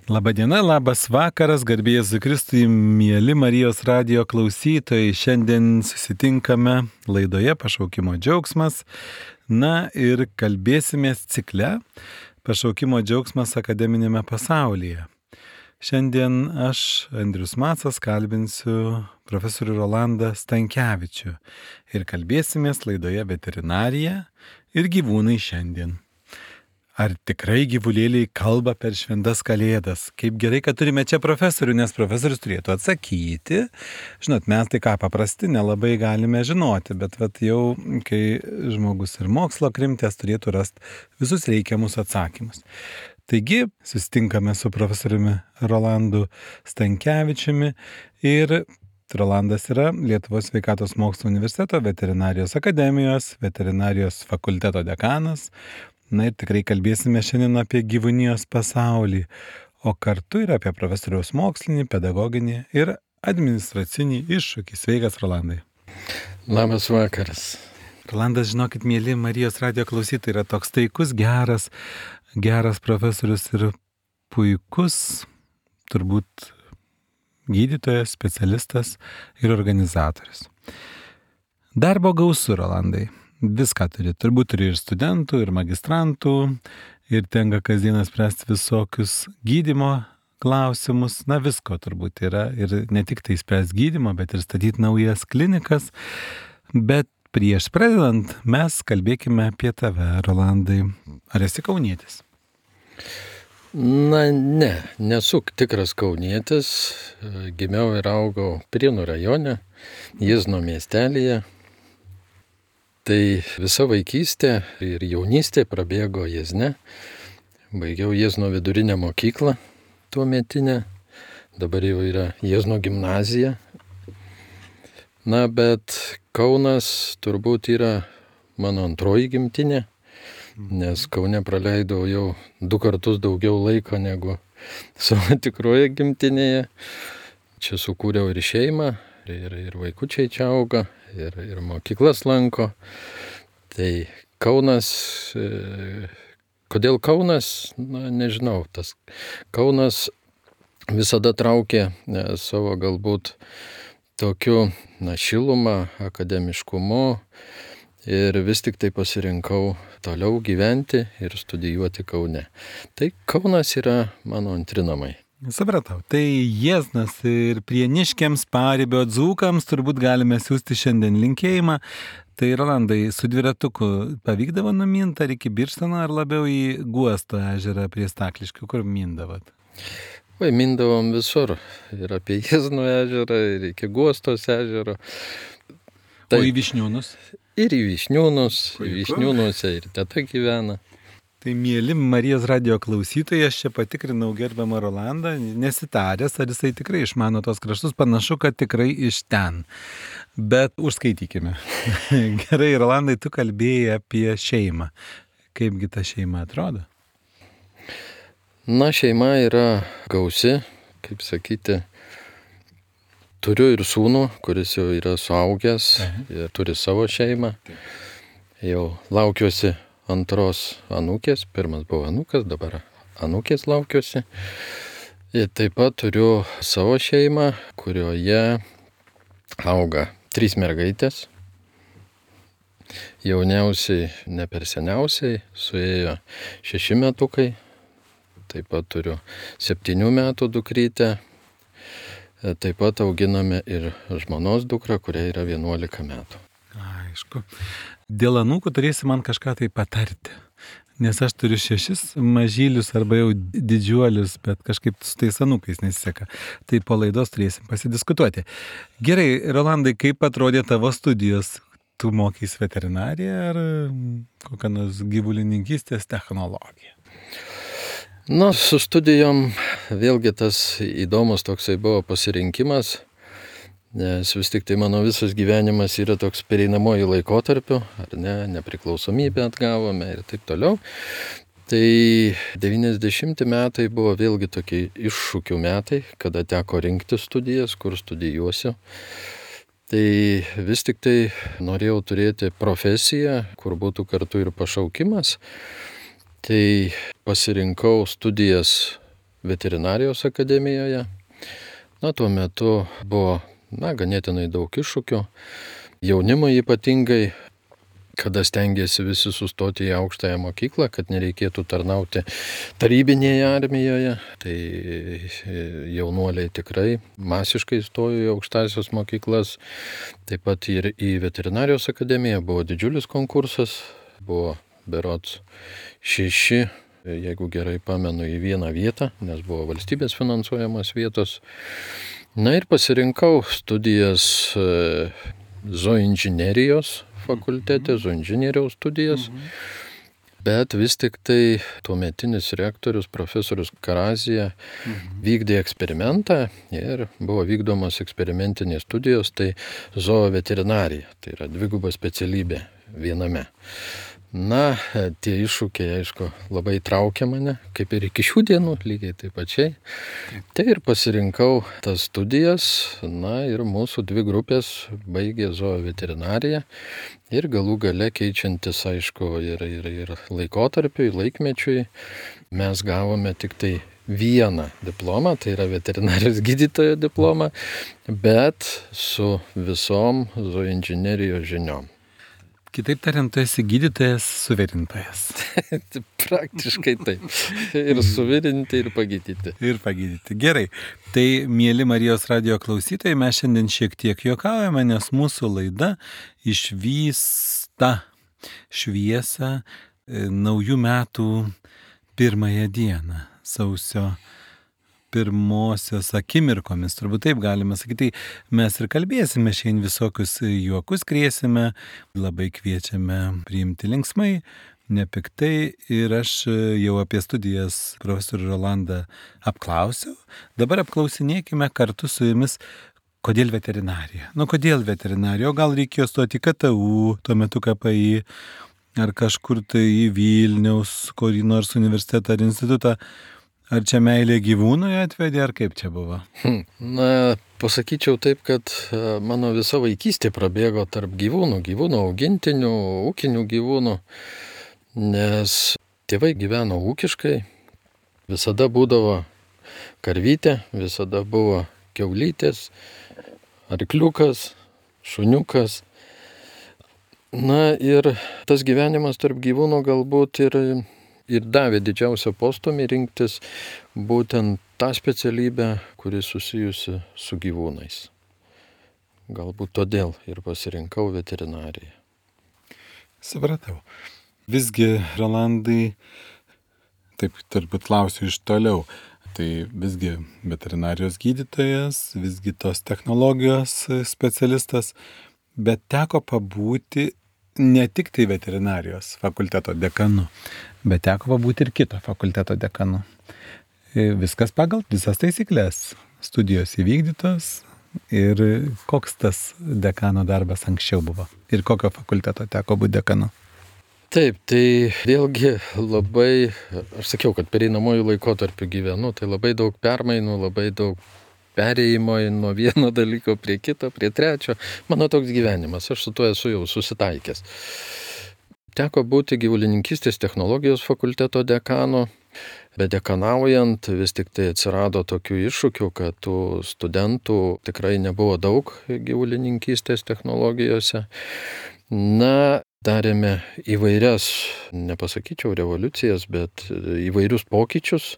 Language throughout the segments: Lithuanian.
Labadiena, labas vakaras, garbė Jėzui Kristui, mėly Marijos radijo klausytojai. Šiandien susitinkame laidoje Pašaukimo džiaugsmas. Na ir kalbėsimės cikle Pašaukimo džiaugsmas akademinėme pasaulyje. Šiandien aš, Andrius Macas, kalbinsiu profesorių Rolandą Stankevičių ir kalbėsimės laidoje veterinarija ir gyvūnai šiandien. Ar tikrai gyvulėliai kalba per šventas kalėdas? Kaip gerai, kad turime čia profesorių, nes profesorius turėtų atsakyti. Žinot, mes tai ką paprasti nelabai galime žinoti, bet jau kai žmogus ir mokslo krimtės turėtų rasti visus reikiamus atsakymus. Taigi, susitinkame su profesoriumi Rolandu Stankevičiumi ir Rolandas yra Lietuvos sveikatos mokslo universiteto veterinarijos akademijos, veterinarijos fakulteto dekanas. Na ir tikrai kalbėsime šiandien apie gyvūnijos pasaulį, o kartu ir apie profesoriaus mokslinį, pedagoginį ir administracinį iššūkį. Sveikas, Rolandai. Labas vakaras. Rolandas, žinokit, mėly Marijos radijo klausytojai, yra toks taikus, geras profesorius ir puikus, turbūt gydytojas, specialistas ir organizatorius. Darbo gausu, Rolandai. Viską turi. Turbūt turi ir studentų, ir magistrantų, ir tenka kasdieną spręsti visokius gydymo klausimus. Na, visko turbūt yra. Ir ne tik tai spręsti gydymo, bet ir statyti naujas klinikas. Bet prieš pradedant, mes kalbėkime apie tave, Rolandai. Ar esi kaunietis? Na, nesu tikras kaunietis. Gimiau ir augau Prienų rajone, Jiezno miestelyje. Tai visa vaikystė ir jaunystė prabėgo Jiezne. Baigiau Jiezno vidurinę mokyklą tuometinę. Dabar jau yra Jiezno gimnazija. Na, bet Kaunas turbūt yra mano antroji gimtinė, nes Kaune praleidau jau 2 kartus daugiau laiko negu savo tikroje gimtinėje. Čia sukūriau ir šeimą, ir vaikučiai čia auga. Ir mokyklas lanko. Tai Kaunas, kodėl Kaunas, na, nežinau, tas Kaunas visada traukė savo galbūt tokiu, šilumą, akademiškumu ir vis tik tai pasirinkau toliau gyventi ir studijuoti Kaune. Tai Kaunas yra mano antri namai. Supratau. Tai Jieznas ir prieniškiams, paribio dzūkams turbūt galime siūsti šiandien linkėjimą. Tai Rolandai, su dviratuku pavykdavo numinti ar iki Birštono, ar labiau į Guosto ežerą prie Stakliškių, kur mindavot? Mindavom visur. Ir apie Jiezno ežerą, ir iki Guostos ežero. O į Vyšniūnus? Ir į Vyšniūnus. Į Vyšniūnuose ir teta gyvena. Tai mėly Marijos radijo klausytojai, aš čia patikrinau gerbiamą Rolandą, nesitaręs, ar jisai tikrai išmano tos kraštus, panašu, kad tikrai iš ten. Bet užskaitykime. Gerai, Rolandai, tu kalbėjai apie šeimą. Kaipgi ta šeima atrodo? Na, šeima yra gausi, kaip sakyti. Turiu ir sūnų, kuris jau yra suaugęs ir turi savo šeimą. Jau laukiuosi antros anūkės, pirmas buvo anūkas, dabar anūkės laukiuosi. Ir taip pat turiu savo šeimą, kurioje auga 3 mergaitės. Jauniausiai, ne per seniausiai, suėjo 6 metukai. Taip pat turiu 7 metų dukrytę. Taip pat auginame ir žmonos dukrą, kuriai yra 11 metų. Aišku. Dėl anūkų turėsi man kažką tai patarti, nes aš turiu 6 mažylius arba jau didžiuolius, bet kažkaip su tais anūkais nesiseka. Tai po laidos turėsim pasidiskutuoti. Gerai, Rolandai, kaip atrodė tavo studijos? Tu mokys veterinariją ar kokią nors gyvulininkystės technologiją? Na, su studijom vėlgi tas įdomus toksai buvo pasirinkimas. Nes vis tik tai mano visas gyvenimas yra toks pereinamoji laikotarpiu, ar ne, nepriklausomybę atgavome ir taip toliau. Tai 90 metai buvo vėlgi tokie iššūkių metai, kada teko rinkti studijas, kur studijuosiu. Tai vis tik tai norėjau turėti profesiją, kur būtų kartu ir pašaukimas. Tai pasirinkau studijas veterinarijos akademijoje. Tuo metu buvo ganėtinai daug iššūkių. Jaunimui ypatingai, kada stengiasi visi sustoti į aukštąją mokyklą, kad nereikėtų tarnauti tarybinėje armijoje, tai jaunuoliai tikrai masiškai stojo į aukštąsias mokyklas. Taip pat ir į veterinarijos akademiją buvo didžiulis konkursas, buvo berods 6, jeigu gerai pamenu, į vieną vietą, nes buvo valstybės finansuojamos vietos. Ir pasirinkau studijas zooinžinerijos fakultete, zooinžinieriaus studijas, bet vis tik tai tuometinis rektorius profesorius Karazija vykdė eksperimentą ir buvo vykdomos eksperimentinės studijos, tai zooveterinarija, tai yra dviguba specialybė viename. Tie iššūkiai, aišku, labai traukia mane, kaip ir iki šių dienų, lygiai taip pačiai. Tai ir pasirinkau tas studijas, ir mūsų 2 grupės baigė zooveterinariją ir galų gale keičiantis, aišku, ir laikotarpiui, laikmečiui, mes gavome tik tai vieną diplomą, tai yra veterinarijos gydytojo diplomą, bet su visom zooinžinerijos žiniom. Kitaip tariant, tu esi gydytojas, suvirintojas. Praktiškai taip. Ir suvirinti, ir pagydyti. Ir pagydyti. Gerai. Tai, mieli Marijos radijo klausytojai, mes šiandien šiek tiek juokaujame, nes mūsų laida išvysta šviesą naujų metų 1 dieną, sausio 1 akimirkomis, turbūt taip galima sakyti. Tai mes ir kalbėsime šiandien, visokius juokus krėsime, labai kviečiame priimti linksmai, nepiktai, ir aš jau apie studijas profesorių Rolandą apklausiau. Dabar apklausinėkime kartu su jumis, kodėl veterinarija. Kodėl veterinarija? O gal reikėjo stoti į KTU, tuo metu KPI, ar kažkur tai į Vilniaus, kurį nors universitetą ar institutą. Ar čia meilė gyvūnui atvedė, ar kaip čia buvo? Pasakyčiau taip, kad mano visa vaikystė prabėgo tarp gyvūnų augintinių, ūkinių gyvūnų, nes tėvai gyveno ūkiškai, visada būdavo karvytė, visada buvo kiaulytės, arkliukas, šuniukas. Ir tas gyvenimas tarp gyvūnų galbūt ir davė didžiausią postūmį rinktis būtent tą specialybę, kuri susijusi su gyvūnais. Galbūt todėl ir pasirinkau veterinariją. Supratau. Visgi, Rolandai, taip turbūt klausiu iš toliau, tai visgi veterinarijos gydytojas, visgi tos technologijos specialistas, bet teko pabūti ne tik tai veterinarijos fakulteto dekanu, bet teko pabūti ir kito fakulteto dekanu. Viskas pagal visas taisyklės. Studijos įvykdytos ir koks tas dekano darbas anksčiau buvo? Ir kokio fakulteto teko būti dekanu? Taip, tai vėlgi labai, aš sakiau, kad pereinamojų laikotarpių gyvenu, tai labai daug permainų, labai daug perėjimo nuo vieno dalyko prie kito, prie trečio. Mano toks gyvenimas, aš su tuo esu jau susitaikęs. Teko būti gyvulininkystės technologijos fakulteto dekanu, bet dekanaujant vis tik tai atsirado tokių iššūkių, kad tų studentų tikrai nebuvo daug gyvulininkystės technologijose. Darėme įvairias, nepasakyčiau revoliucijas, bet įvairius pokyčius.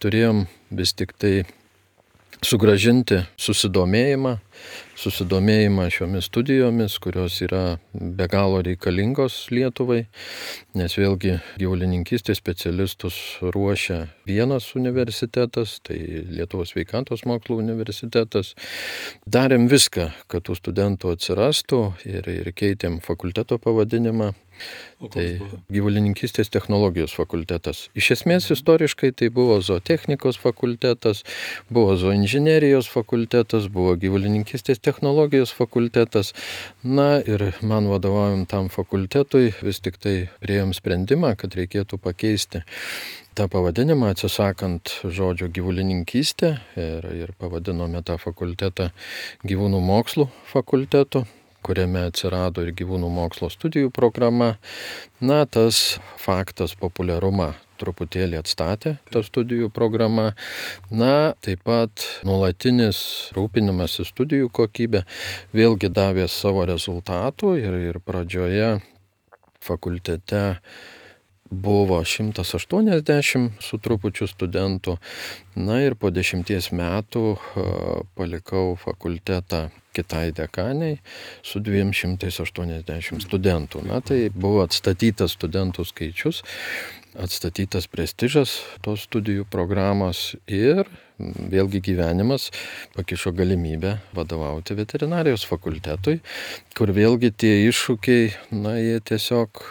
Turėjom vis tik tai sugrąžinti susidomėjimą šiomis studijomis, kurios yra be galo reikalingos Lietuvai, nes vėlgi gyvulininkystės specialistus ruošia vienas universitetas, tai Lietuvos sveikatos mokslų universitetas. Darėm viską, kad tų studentų atsirastų ir keitėm fakulteto pavadinimą. Tai gyvulininkystės technologijos fakultetas. Iš esmės istoriškai tai buvo zootechnikos fakultetas, buvo zooinžinerijos fakultetas, buvo gyvulininkystės technologijos fakultetas. Ir man vadovaujant tam fakultetui vis tik tai priėjom sprendimą, kad reikėtų pakeisti tą pavadinimą, atsisakant žodžio gyvulininkystė, ir pavadinome tą fakultetą gyvūnų mokslų fakultetu, kuriame atsirado ir gyvūnų mokslo studijų programa. Tas faktas populiarumą truputėlį atstatė tą studijų programą. Na, taip pat nuolatinis rūpinimasis studijų kokybė vėlgi davė savo rezultatų ir pradžioje fakultete buvo 180 su trupučiu studentų. Na ir po 10 metų palikau fakultetą kitai dekaniai su 280 studentų. Na tai buvo atstatytas studentų skaičius, atstatytas prestižas tos studijų programos ir vėlgi gyvenimas pakišo galimybę vadovauti veterinarijos fakultetui, kur vėlgi tie iššūkiai, na jie tiesiog,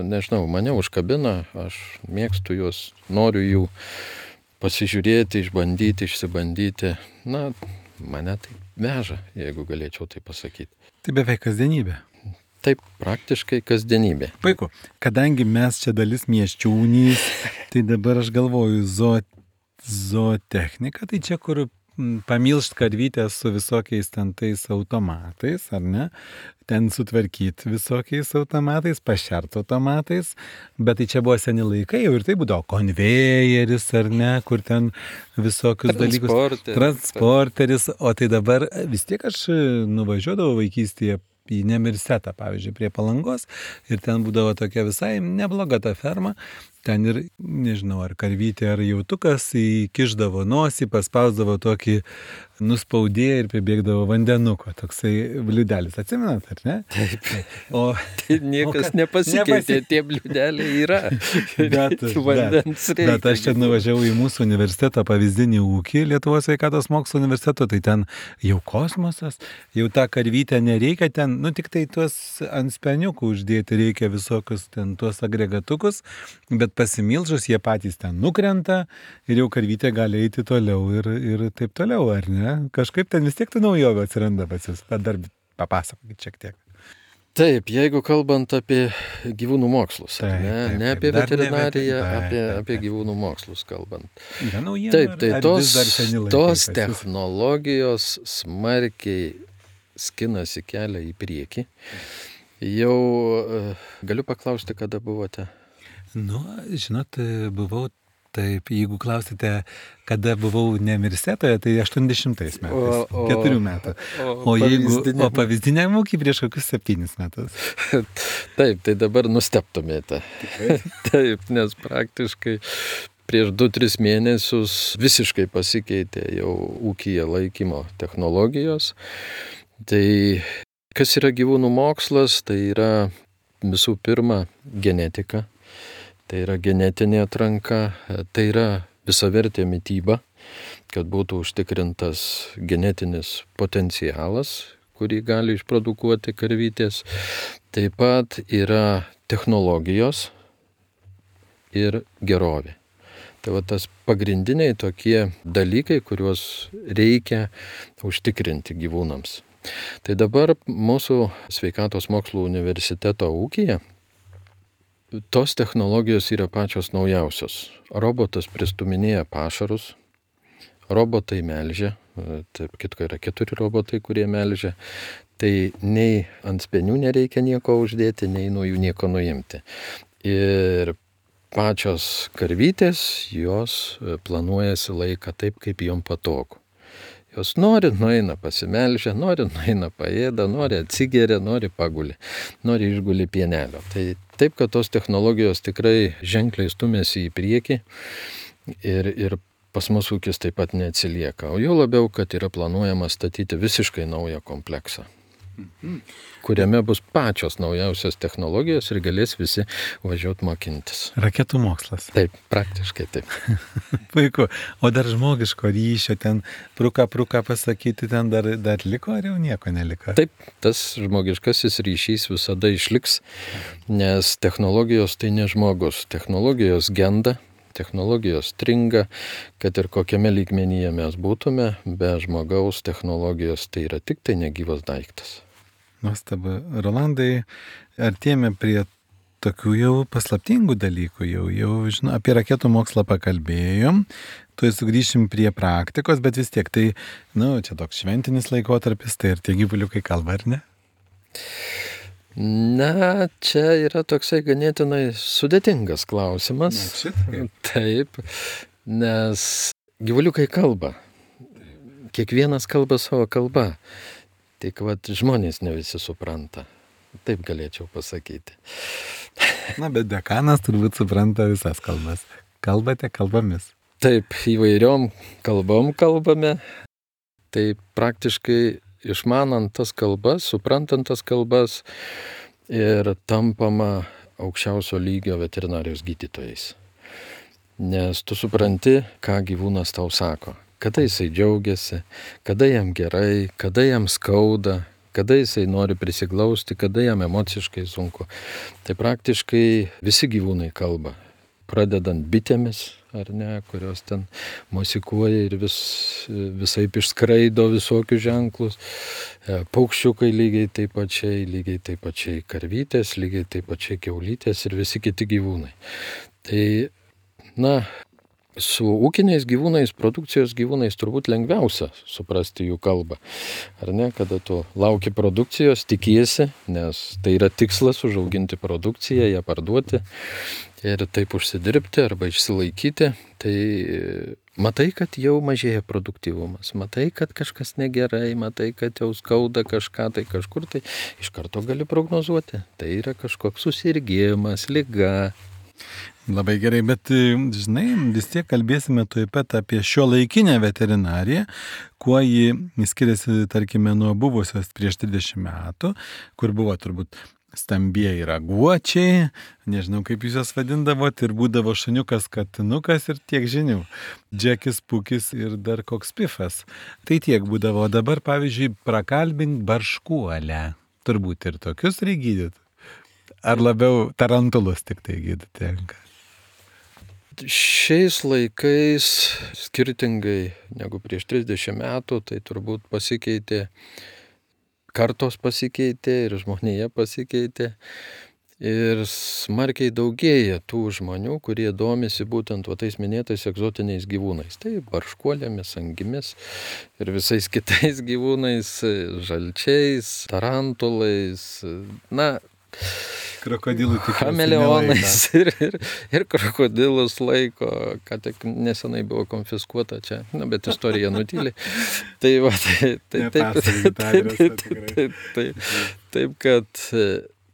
nežinau, mane užkabina, aš mėgstu juos, noriu jų pasižiūrėti, išbandyti, išsibandyti, na mane tai veža, jeigu galėčiau tai pasakyti. Tai beveik kasdienybė. Taip, praktiškai kasdienybė. Puiku, kadangi mes čia dalis miesčiūnys, tai dabar aš galvoju, zootechnika, tai čia kur pamilšt karvytės su visokiais ten tais automatais, ar ne? Ten sutvarkyti visokiais automatais, pašert automatais, bet tai čia buvo seni laikai, jau ir tai būdavo konvejeris, ar ne, kur ten visokius dalykus. Transporteris. O tai dabar vis tiek aš nuvažiuodavau vaikystėje į Nemirsetą, pavyzdžiui, prie Palangos, ir ten būdavo tokia visai nebloga ta ferma. Ten ir, nežinau, ar karvytė, ar jautukas įkišdavo nosį, paspausdavo tokį nuspaudėją ir pribėgdavo vandenuko, toksai bliudelis. Atsimenat, ar ne? Taip. Tai niekas nepasikeitė, tie bliudeliai yra. Bet aš čia nuvažiavau į mūsų universitetą, pavyzdinį ūkį, Lietuvos sveikatos mokslo universiteto, tai ten jau kosmosas, jau tą karvytę nereikia, ten, tik tai tuos ant speniukų uždėti reikia visokius ten tuos agregatukus, bet pasimilžus jie patys ten nukrenta ir jau karvytė gali eiti toliau ir taip toliau, ar ne? Kažkaip ten vis tiek tų naujovių atsiranda pas jūs, bet dar papasakokit šiek tiek. Taip, jeigu kalbant apie gyvūnų mokslus, ne apie veterinariją, apie gyvūnų mokslus kalbant. Taip, tai tos technologijos smarkiai skinasi kelią į priekį. Jau galiu paklausti, kada buvote? Žinot, buvau, taip, jeigu klausite, kada buvau Nemirsetoje, tai 80 metais, 4 metų. O pavyzdiniam ūkį prieš kokius 7 metus. Taip, tai dabar nustebtumėte. Taip, nes praktiškai prieš 2-3 mėnesius visiškai pasikeitė jau ūkyje laikymo technologijos. Tai kas yra gyvūnų mokslas, tai yra visų pirma genetika. Tai yra genetinė atranka, tai yra visavertė mityba, kad būtų užtikrintas genetinis potencialas, kurį gali išprodukuoti karvytės. Taip pat yra technologijos ir gerovė. Tai va tas pagrindiniai tokie dalykai, kuriuos reikia užtikrinti gyvūnams. Tai dabar mūsų sveikatos mokslų universiteto ūkyje tos technologijos yra pačios naujausios. Robotas pristuminėja pašarus, robotai melžia, taip kitko yra 4 robotai, kurie melžia. Tai nei ant spenių nereikia nieko uždėti, nei nuo jų nieko nuimti. Ir pačios karvytės, jos planuojasi laiką taip, kaip jom patogu. Jos nori, nueina pasimelžia, nori, nueina paėda, nori atsigeria, nori paguli, nori išguli pienelio. Tai taip, kad tos technologijos tikrai ženkliai stumėsi į priekį ir pas mus ūkis taip pat neatsilieka. O jau labiau, kad yra planuojama statyti visiškai naują kompleksą, kuriame bus pačios naujausios technologijos ir galės visi važiuoti mokintis. Raketų mokslas. Taip, praktiškai taip. Puiku. O dar žmogiško ryšio ten pruka pasakyti, ten dar liko ar jau nieko neliko? Taip, tas žmogiškasis ryšys visada išliks, nes technologijos tai ne žmogus. Technologijos genda, technologijos stringa, kad ir kokiame lygmenyje mes būtume, be žmogaus technologijos tai yra tik tai negyvas daiktas. Nuostabu. Rolandai, artėjame prie tokių jau paslaptingų dalykų, jau žinau, apie raketų mokslą pakalbėjom, tuoj sugrįšim prie praktikos, bet vis tiek tai, čia toks šventinis laikotarpis, tai ir tie gyvuliukai kalba, ar ne? Na, čia yra toksai ganėtinai sudėtingas klausimas. Taip, nes gyvuliukai kalba. Kiekvienas kalba savo kalbą. Tik žmonės ne visi supranta. Taip galėčiau pasakyti. Na, bet dekanas turbūt supranta visas kalbas. Kalbate kalbomis. Taip, įvairiom kalbom kalbame. Tai praktiškai išmanant tas kalbas, suprantant tas kalbas ir tampama aukščiausio lygio veterinarijos gydytojais. Nes tu supranti, ką gyvūnas tau sako. Kada jisai džiaugiasi, kada jam gerai, kada jam skauda, kada jisai nori prisiglausti, kada jam emociškai sunku. Tai praktiškai visi gyvūnai kalba. Pradedant bitėmis, ar ne, kurios ten mosikuoja ir visaip išskraido visokius ženklus. Paukščiukai lygiai taip pačiai karvytės, lygiai taip pačiai kiaulytės ir visi kiti gyvūnai. Tai, su ūkiniais gyvūnais, produkcijos gyvūnais turbūt lengviausia suprasti jų kalbą. Ar ne, kada tu lauki produkcijos, tikiesi, nes tai yra tikslas užauginti produkciją, ją parduoti ir taip užsidirbti arba išsilaikyti, tai matai, kad jau mažėja produktyvumas, matai, kad kažkas negerai, matai, kad jau skauda kažką, tai kažkur tai iš karto gali prognozuoti. Tai yra kažkoks susirgimas, liga. Labai gerai, bet žinai, vis tiek kalbėsime tuoj pat apie šiuolaikinę veterinariją, kuo ji skiriasi, tarkime, nuo buvusios prieš 30 metų, kur buvo turbūt stambieji raguočiai, nežinau kaip jūs jas vadindavot, ir būdavo šuniukas, katinukas ir tiek žinių. Džekis, pukis ir dar koks pifas. Tai tiek būdavo. Dabar, pavyzdžiui, prakalbink barškuolę. Turbūt ir tokius reikia gydyti. Ar labiau tarantulus tik tai gydyti? Šiais laikais, skirtingai negu prieš 30 metų, tai turbūt pasikeitė, kartos pasikeitė ir žmonėje pasikeitė. Ir smarkiai daugėja tų žmonių, kurie domisi būtent tais minėtais egzotiniais gyvūnais. Tai barškuolėmis, angimis ir visais kitais gyvūnais, žalčiais, tarantulais, krokodilų chameleonais ir krokodilus laiko, ką tik nesenai buvo konfiskuota čia, bet istorija nutyli. Taip, kad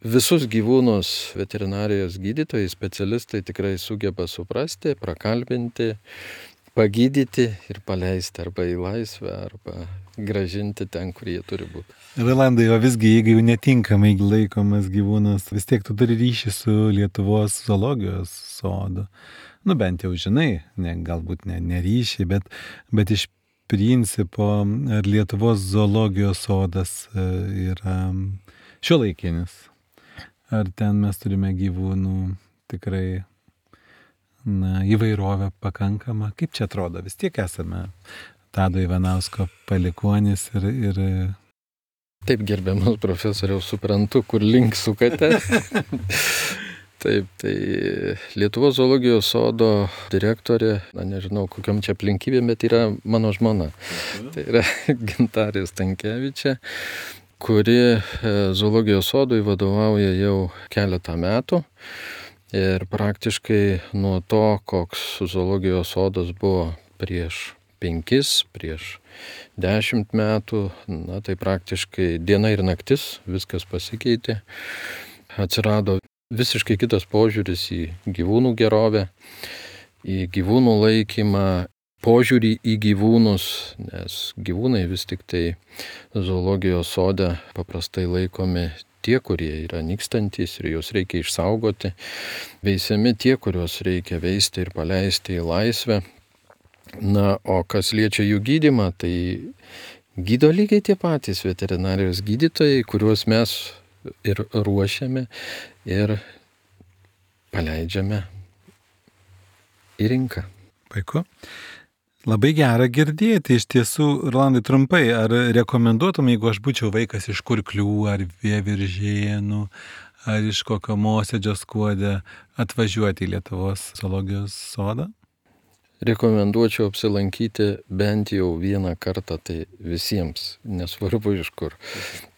visus gyvūnus veterinarijos gydytojai, specialistai tikrai sugeba suprasti, prakalbinti, pagydyti ir paleisti arba į laisvę, arba grąžinti ten, kur jie turi būti. Rolandai, o visgi, jeigu jau netinkamai laikomas gyvūnas, vis tiek tu turi ryšį su Lietuvos zoologijos sodu. Bent jau žinai, galbūt ne ryšį, bet iš principo ar Lietuvos zoologijos sodas yra šiuolaikinis. Ar ten mes turime gyvūnų tikrai įvairovę pakankamą? Kaip čia atrodo? Vis tiek esame Tado Ivanausko palikuonis ir... Taip, gerbiamas profesoriaus, suprantu, kur link sukate. Taip, tai Lietuvos zoologijos sodo direktorė, nežinau kokiom čia aplinkybėm, bet yra mano žmona. Tai yra Gintarė Stankevičė, kuri zoologijos sodui vadovauja jau keletą metų. Ir praktiškai nuo to, koks zoologijos sodas buvo prieš 5, prieš 10 metų, tai praktiškai diena ir naktis viskas pasikeitė. Atsirado visiškai kitas požiūris į gyvūnų gerovę, į gyvūnų laikymą, požiūrį į gyvūnus, nes gyvūnai vis tik tai zoologijos sode paprastai laikomi tie, kurie yra nykstantys ir juos reikia išsaugoti, veisiami tie, kuriuos reikia veisti ir paleisti į laisvę. O kas liečia jų gydymą, tai gydo lygiai tie patys veterinarijos gydytojai, kuriuos mes ir ruošiame ir paleidžiame į rinką. Puiku. Labai gera girdėti. Iš tiesų, Rolandai, trumpai, ar rekomenduotum, jeigu aš būčiau vaikas iš Kurklių ar Vieviržėnų, ar iš kokio Mosėdžio Skuode, atvažiuoti į Lietuvos zoologijos sodą? Rekomenduočiau apsilankyti bent jau vieną kartą, tai visiems, nesvarbu iš kur.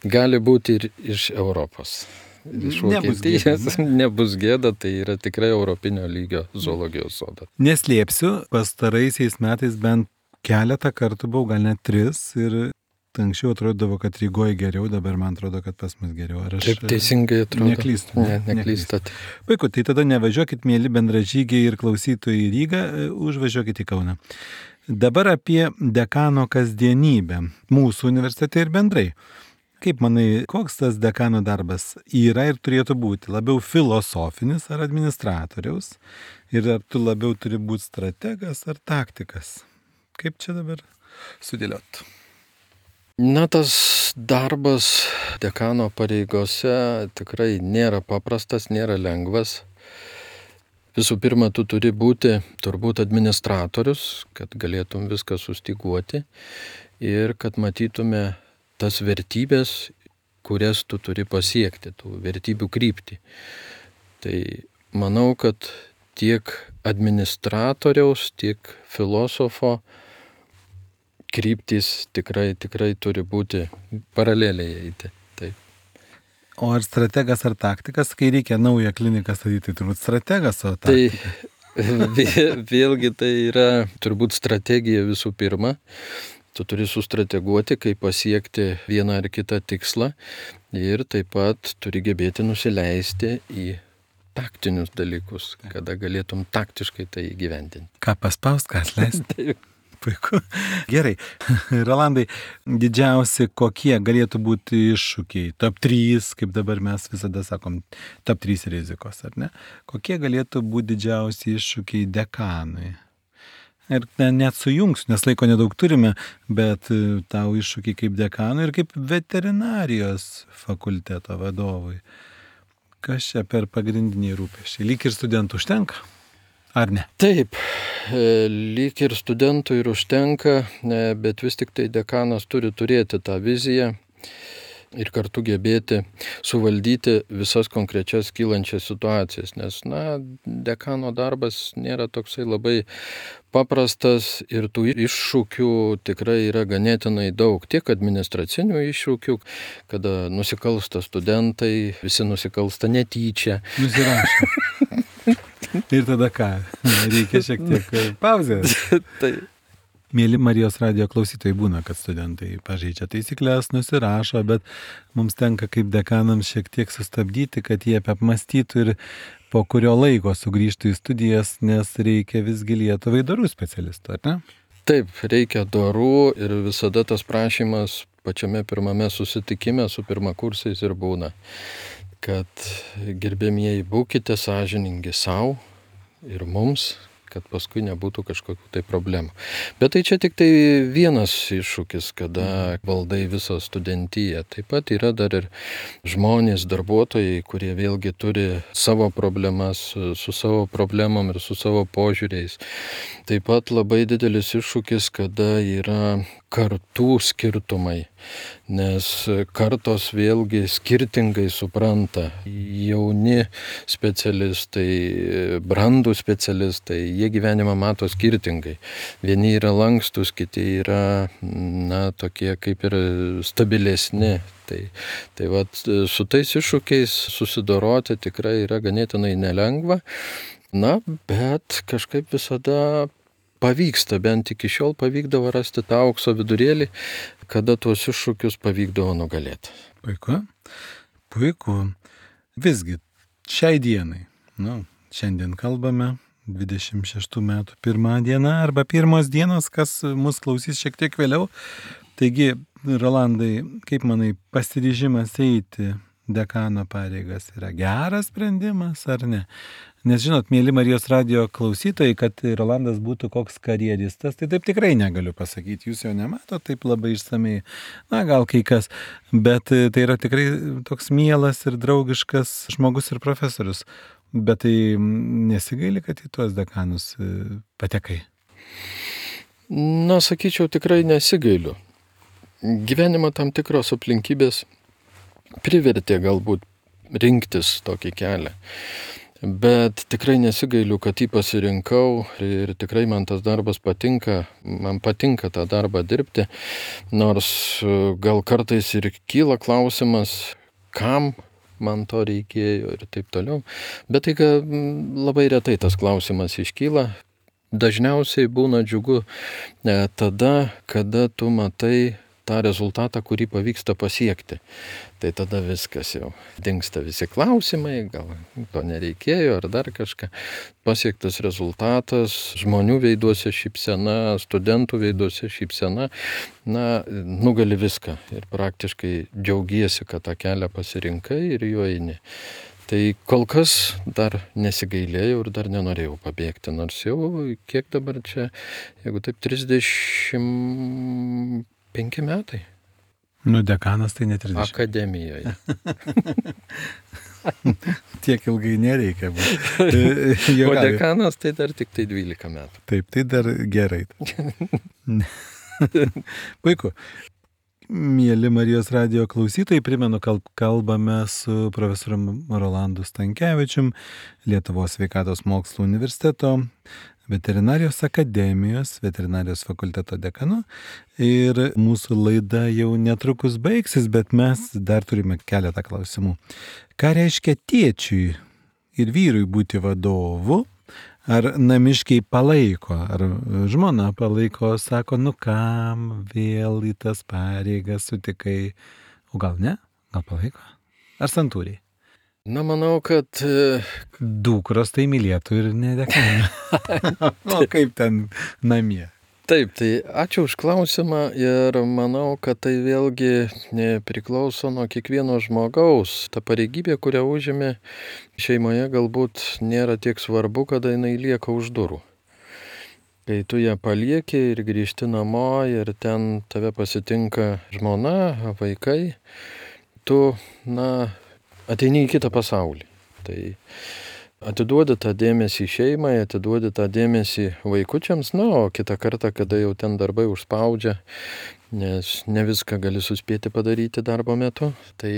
Gali būti ir iš Europos. iš Nebus gėda, Vokietijos, nebus gėda, tai yra tikrai europinio lygio zoologijos sodas. Neslėpsiu, pastaraisiais metais bent keletą kartų buvau, gal net 3 ir anksčiau atrodavo, kad Rygoje geriau, dabar man atrodo, kad pas mus geriau. Ar aš Taip teisingai atrodo. neklystu? Neklystat. Puiku, tai tada nevažiuokit, mėly bendražygiai ir klausytojai į Rygą, užvažiuokit į Kauną. Dabar apie dekano kasdienybę mūsų universitete ir bendrai. Kaip manai, koks tas dekano darbas yra ir turėtų būti? Labiau filosofinis ar administratoriaus? Ir ar tu labiau turi būti strategas ar taktikas? Kaip čia dabar sudėliot? Na, tas darbas dekano pareigose tikrai nėra paprastas, nėra lengvas. Visų pirma, tu turi būti turbūt administratorius, kad galėtum viską sustyguoti ir kad matytume tas vertybės, kurias tu turi pasiekti, tų vertybių kryptį. Tai manau, kad tiek administratoriaus, tiek filosofo kryptys tikrai turi būti paraleliai eiti. Taip. O ar strategas ar taktikas, kai reikia naują kliniką statyti, tai turbūt strategas, o taktikas? Tai vėlgi tai yra turbūt strategija visų pirma. Tu turi sustrateguoti, kaip pasiekti vieną ar kitą tikslą ir taip pat turi gebėti nusileisti į taktinius dalykus, kada galėtum taktiškai tai įgyvendinti. Ką paspaust, ką atleisti? Puiku. Gerai. Rolandai, didžiausi kokie galėtų būti iššūkiai? Top 3, kaip dabar mes visada sakom, top 3 rizikos, ar ne? Kokie galėtų būti didžiausi iššūkiai dekanui? Ir net sujungsiu, nes laiko nedaug turime, bet tau iššūkiai kaip dekanui ir kaip veterinarijos fakulteto vadovui. Kas čia per pagrindiniai rūpesčiai? Lyg ir studentų užtenka? Ar ne? Taip, lyg ir studentų ir užtenka, bet vis tik tai dekanas turi turėti tą viziją ir kartu gebėti suvaldyti visas konkrečias kylančias situacijas, nes, dekano darbas nėra toksai labai paprastas ir tų iššūkių tikrai yra ganėtinai daug, tiek administracinių iššūkių, kada nusikalsta studentai, visi nusikalsta netyčia. Nusirašo. Ir tada ką? Reikia šiek tiek pauzės. Tai. Mėly Marijos radijo klausytojai, būna, kad studentai pažeidžia taisyklės, nusirašo, bet mums tenka kaip dekanams šiek tiek sustabdyti, kad jie apmąstytų ir po kurio laiko sugrįžtų į studijas, nes reikia visgi Lietuvai dorų specialistų, ar ne? Taip, reikia dorų ir visada tas prašymas pačiame pirmame susitikime su pirmakursiais ir būna, kad gerbėmieji būkite sąžiningi savo ir mums, kad paskui nebūtų kažkokių tai problemų. Bet tai čia tik tai vienas iššūkis, kada valdai visą studentiją. Taip pat yra dar ir žmonės, darbuotojai, kurie vėlgi turi savo problemas, su savo problemom ir su savo požiūriais. Taip pat labai didelis iššūkis, kada yra kartų skirtumai, nes kartos vėlgi skirtingai supranta. Jauni specialistai, brandų specialistai, jie gyvenimą mato skirtingai. Vieni yra lankstus, kiti yra, tokie kaip ir stabilesni. Tai vat, su tais iššūkiais susidoroti tikrai yra ganėtinai nelengva, bet kažkaip visada pavyksta, bent iki šiol pavykdavo rasti tą aukso vidurėlį, kada tuos iššūkius pavykdavo nugalėti. Puiku. Visgi, šiai dienai, šiandien kalbame, 26 metų 1 diena arba 1 dienos, kas mus klausys šiek tiek vėliau. Taigi, Rolandai, kaip manai, pasiryžimas eiti dekano pareigas yra geras sprendimas ar ne? Nes žinot, mėly Marijos radijo klausytojai, kad Rolandas būtų koks karjeristas, tai taip tikrai negaliu pasakyti. Jūs jo nemato taip labai išsamei, gal kai kas, bet tai yra tikrai toks mielas ir draugiškas žmogus ir profesorius. Bet tai nesigaili, kad į tuos dekanus patekai? Sakyčiau, tikrai nesigailiu. Gyvenimo tam tikros aplinkybės privertė galbūt rinktis tokį kelią. Bet tikrai nesigailiu, kad jį pasirinkau ir tikrai man tas darbas patinka, man patinka tą darbą dirbti, nors gal kartais ir kyla klausimas, kam man to reikėjo ir taip toliau. Bet tai labai retai tas klausimas iškyla. Dažniausiai būna džiugu tada, kada tu matai tą rezultatą, kurį pavyksta pasiekti. Tai tada viskas jau dingsta visi klausimai, gal to nereikėjo ar dar kažką. Pasiektas rezultatas, žmonių veiduose šypsena, studentų veiduose šypsena, nugali viską ir praktiškai džiaugiesi, kad tą kelią pasirinkai ir juo eini. Tai kol kas dar nesigailėjau ir dar nenorėjau pabėgti, nors jau kiek dabar čia, jeigu taip 35 metai. Dekanas tai ne 30. Akademijoje. Tiek ilgai nereikia būti. O dekanas tai dar tik tai 12 metų. Taip, tai dar gerai. Puiku. Mieli Marijos radijo klausytojai, primenu, kalbame su profesoriumi Rolandu Stankevičium, Lietuvos sveikatos mokslų universiteto, veterinarijos akademijos, veterinarijos fakulteto dekanu. Ir mūsų laida jau netrukus baigsis, bet mes dar turime keletą klausimų. Ką reiškia tėčiui ir vyrui būti vadovu? Ar namiškiai palaiko, ar žmona palaiko, sako, kam vėl į tas pareigas sutikai, o gal ne, gal palaiko, ar santūriai? Manau, kad dukros tai mylėtų ir nedekana. O kaip ten namie? Taip, tai ačiū už klausimą ir manau, kad tai vėlgi priklauso nuo kiekvieno žmogaus. Ta pareigybė, kurią užėmė šeimoje, galbūt nėra tiek svarbu, kada jinai lieka už durų. Kai tu ją palieki ir grįžti namo ir ten tave pasitinka žmona, vaikai, tu, ateini į kitą pasaulį. Tai atiduodi tą dėmesį šeimai, atiduodi tą dėmesį vaikučiams, o kitą kartą, kada jau ten darbai užspaudžia, nes ne viską gali suspėti padaryti darbo metu, tai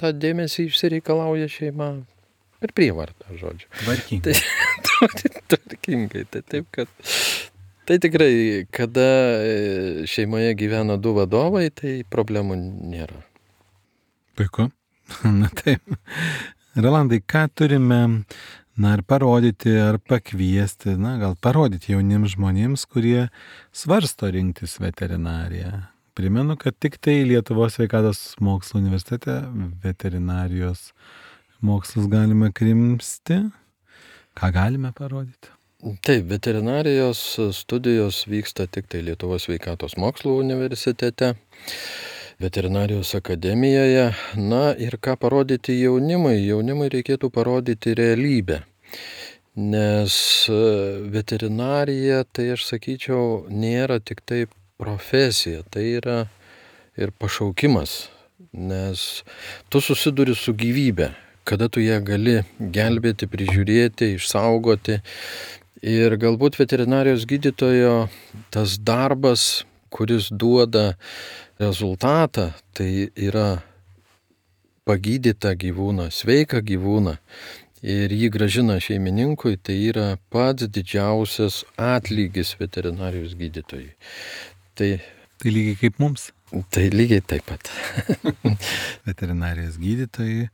tą dėmesį išsireikalauja šeima per prievartą, žodžiu. Tvarkingai. Tvarkingai, tai taip, kad tai tikrai, kada šeimoje gyvena du vadovai, tai problemų nėra. Puiku. Taip. Rolandai, ką turime, ar parodyti, ar pakviesti, gal parodyti jauniems žmonėms, kurie svarsto rinktis veterinariją. Primenu, kad tik tai Lietuvos sveikatos mokslų universitete veterinarijos mokslus galime krimsti. Ką galime parodyti? Taip, veterinarijos studijos vyksta tik tai Lietuvos sveikatos mokslų universitete. Veterinarijos akademijoje. Ir ką parodyti jaunimui? Jaunimui reikėtų parodyti realybę. Nes veterinarija, tai aš sakyčiau, nėra tik tai profesija, tai yra ir pašaukimas. Nes tu susiduri su gyvybe, kada tu ją gali gelbėti, prižiūrėti, išsaugoti. Ir galbūt veterinarijos gydytojo tas darbas, kuris duoda rezultatą, tai yra pagydytą gyvūną, sveiką gyvūną ir jį grąžina šeimininkui, tai yra pats didžiausias atlygis veterinarijos gydytojui. Tai lygiai kaip mums? Tai lygiai taip pat. Veterinarijos gydytojai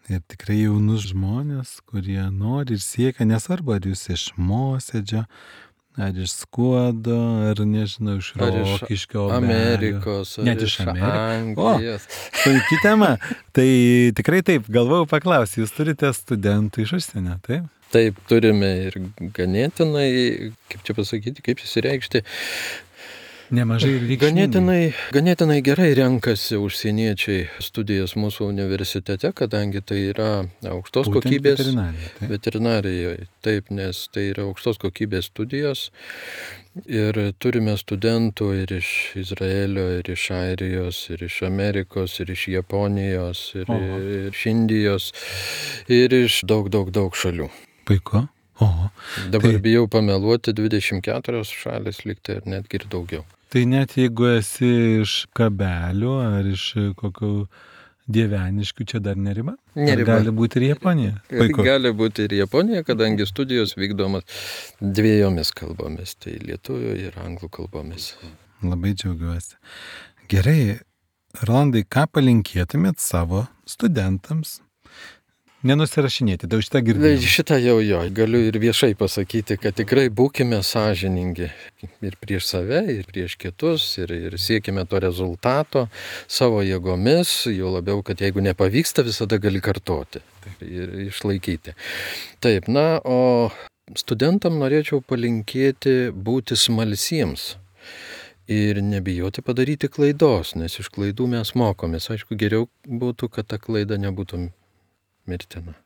ir tikrai jaunus žmonės, kurie nori ir siekia, nesvarbu, ar jūs iš Mosėdžio, ar iš Skuodo, ar nežinau, iš Rokiškio, Amerikos, net iš Anglijos. Puiki tema. Tai tikrai taip, galvojau paklausti, jūs turite studentų iš užsienio, taip? Taip, turime ir ganėtinai, kaip čia pasakyti, kaip įsireikšti, nemažai ir reikšmingai. Ganėtinai gerai renkasi užsieniečiai studijas mūsų universitete, kadangi tai yra aukštos kokybės veterinarijoje. Taip, nes tai yra aukštos kokybės studijos ir turime studentų ir iš Izraelio, ir iš Airijos, ir iš Amerikos, ir iš Japonijos, ir iš Indijos, ir iš daug šalių. Puiku. Dabar bijau pameluoti, 24 šalis liktai ir netgi ir daugiau. Tai net jeigu esi iš Kabelių ar iš kokių Dieveniškių, čia dar neriba? Neriba. Gali būti ir Japonija? Puiku. Gali būti ir Japonija, kadangi studijos vykdomas 2 kalbomis, tai lietuvių ir anglų kalbomis. Labai džiaugiuosi. Gerai, Rolandai, ką palinkėtumėt savo studentams? Nenusirašinėti, tai šitą girdėjau. Šitą jau galiu ir viešai pasakyti, kad tikrai būkime sąžiningi ir prieš save, ir prieš kitus, ir siekime to rezultato savo jėgomis, jau labiau, kad jeigu nepavyksta, visada gali kartoti ir išlaikyti. Taip, o studentam norėčiau palinkėti būti smalsiems ir nebijoti padaryti klaidos, nes iš klaidų mes mokomės. Aišku, geriau būtų, kad ta klaida nebūtų mirtina.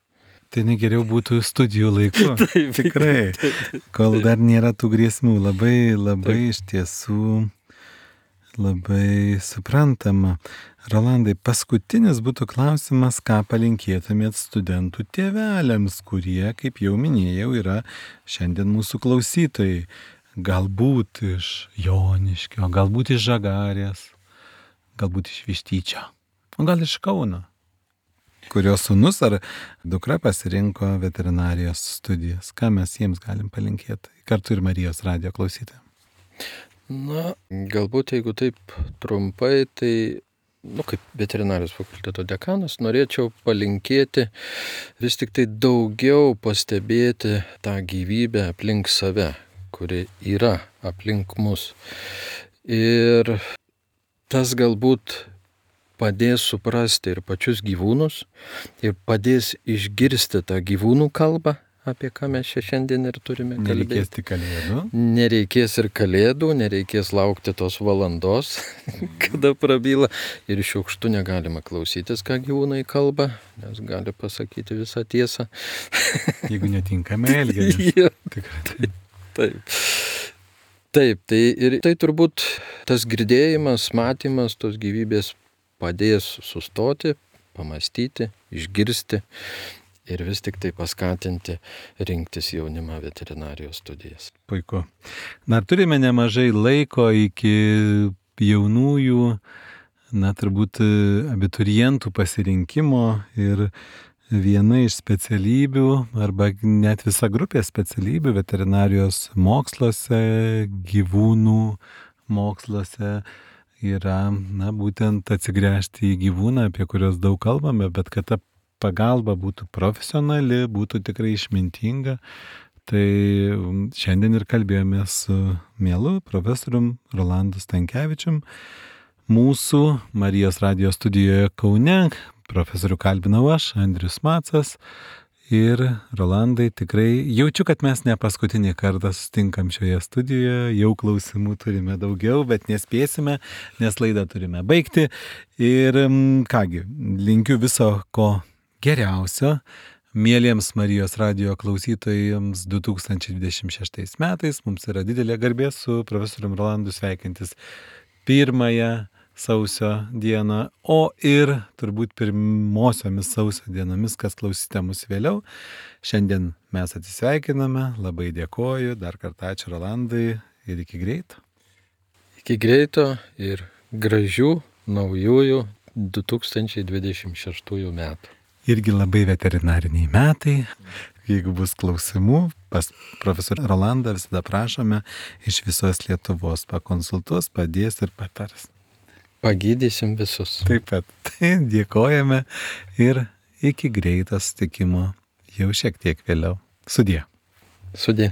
Tai negeriau būtų studijų laiku. Taip, tikrai. Kol dar nėra tų grėsmių. Labai iš tiesų labai suprantama. Rolandai, paskutinis būtų klausimas, ką palinkėtumėt studentų tėveliams, kurie, kaip jau minėjau, yra šiandien mūsų klausytojai. Galbūt iš Joniškio, galbūt iš Žagarės, galbūt iš Vištyčio, o gal iš Kauno, kurios sūnus ar dukra pasirinko veterinarijos studijas. Ką mes jiems galim palinkėti? Kartu ir Marijos radijo klausytojams. Galbūt jeigu taip trumpai, tai, kaip veterinarijos fakulteto dekanas, norėčiau palinkėti vis tik tai daugiau pastebėti tą gyvybę aplink save, kuri yra aplink mus. Ir tas galbūt padės suprasti ir pačius gyvūnus, ir padės išgirsti tą gyvūnų kalbą, apie ką mes šiandien ir turime kalbėti. Nereikės tik kalėdų. Nereikės ir kalėdų, nereikės laukti tos valandos, kada prabyla. Ir šiukštu negalima klausytis, ką gyvūnai kalba, nes gali pasakyti visą tiesą. Jeigu netinkame elgiamės. Taip, tai turbūt tas girdėjimas, matymas tos gyvybės padės sustoti, pamastyti, išgirsti ir vis tik tai paskatinti rinktis jaunimą veterinarijos studijas. Puiku. Turime nemažai laiko iki jaunųjų, turbūt abiturientų pasirinkimo ir viena iš specialybių arba net visa grupė specialybių veterinarijos moksluose, gyvūnų moksluose yra, būtent atsigręžti į gyvūną, apie kurios daug kalbame, bet kad ta pagalba būtų profesionali, būtų tikrai išmintinga. Tai šiandien ir kalbėjome su mielu profesorium Rolandu Stankevičium. Mūsų Marijos radijo studijoje Kaune profesorių kalbinau aš, Andrius Macas. Ir Rolandai, tikrai jaučiu, kad mes ne paskutinį kartą sustinkam šioje studijoje, jau klausimų turime daugiau, bet nespėsime, nes laidą turime baigti. Ir kągi, linkiu viso ko geriausio mieliems Marijos radijo klausytojams 2026 metais. Mums yra didelė garbė su profesorium Rolandu sveikintis 1 sausio dieną, o ir turbūt pirmosiomis sausio dienomis, kas klausysite mus vėliau. Šiandien mes atsisveikiname, labai dėkoju, dar kartą ačiū Rolandai ir iki greito. Iki greito ir gražių naujųjų 2026 metų. Irgi labai veterinariniai metai. Jeigu bus klausimų, pas profesorių Rolandą visada prašome iš visos Lietuvos pakonsultuos, padės ir patars. Pagydysim visus. Taip pat. Tai dėkojame ir iki greito susitikimo jau šiek tiek vėliau. Sudie. Sudie.